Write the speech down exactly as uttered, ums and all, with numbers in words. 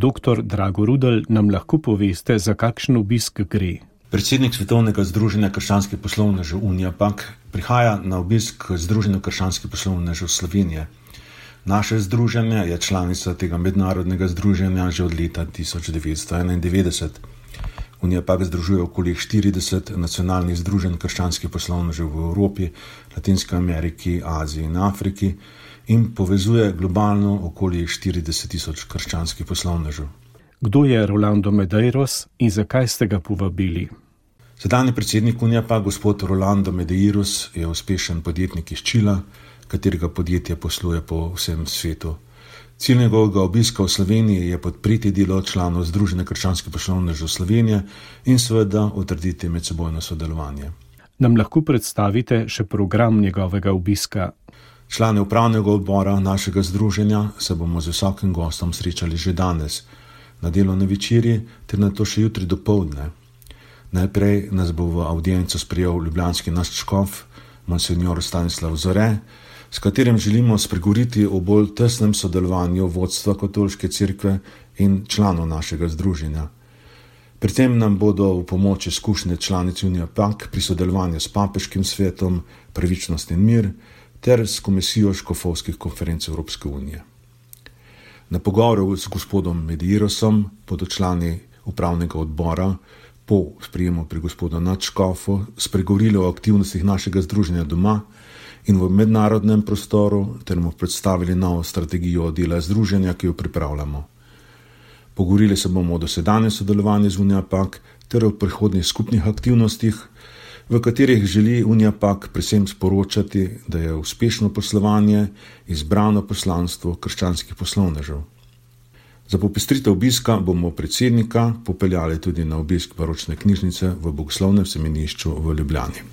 doktor Drago Rudl, nam lahko poveste, za kakšen obisk gre? Predsednik Svetovnega združenja krščanskih poslovnežev Uniapak prihaja na obisk k Združenju krščanskih poslovnežev Slovenije. Naše združenje je članica tega mednarodnega združenja že od leta tisoč devetsto enaindevetdeset. Uniapak združuje okoli štirideset nacionalnih združenj krščanskih poslovnežev v Evropi, Latinski Ameriki, Aziji in Afriki in povezuje globalno okoli štirideset tisoč krščanskih poslovnežev. Kdo je Rolando Medeiros in zakaj ste ga povabili? Sedanji predsednik Uniapak, gospod Rolando Medeiros, je uspešen podjetnik iz Čila, katerega podjetje posluje po vsem svetu. Cilj njegovega obiska v Sloveniji je podpreti delo članov Združenja krščanskih poslovnežev Slovenije in seveda utrditi medsebojno sodelovanje. Nam lahko predstavite še program njegovega obiska? Člane upravnega odbora našega združenja se bomo z visokim gostom srečali že danes, na delovni večerji ter nato še jutri dopoldne. Najprej nas bo v avdienco sprejel ljubljanski naš škof, monsenjor Stanislav Zore, s katerim želimo spregovoriti o bolj tesnem sodelovanju vodstva Katoliške cerkve in članov našega združenja. Pri tem nam bodo v pomoč izkušnje članic Uniapak pri sodelovanju s papeškim svetom, pravičnost in mir ter s komisijo škofovskih konferenc Evropske unije. Na pogovoru s gospodom Medeirosom bodo člani upravnega odbora po sprejemu pri gospodu nadškofu spregovorili o aktivnostih našega združenja doma in v mednarodnem prostoru ter mu predstavili novo strategijo dela združenja, ki jo pripravljamo. Pogovorili se bomo o dosedanjem sodelovanju z Uniapak ter o prihodnjih skupnih aktivnostih, v katerih želi Uniapak predvsem sporočati, da je uspešno poslovanje izbrano poslanstvo krščanskih poslovnežev. Za popestritev obiska bomo predsednika popeljali tudi na obisk baročne knjižnice v Bogoslovnem semenišču v Ljubljani.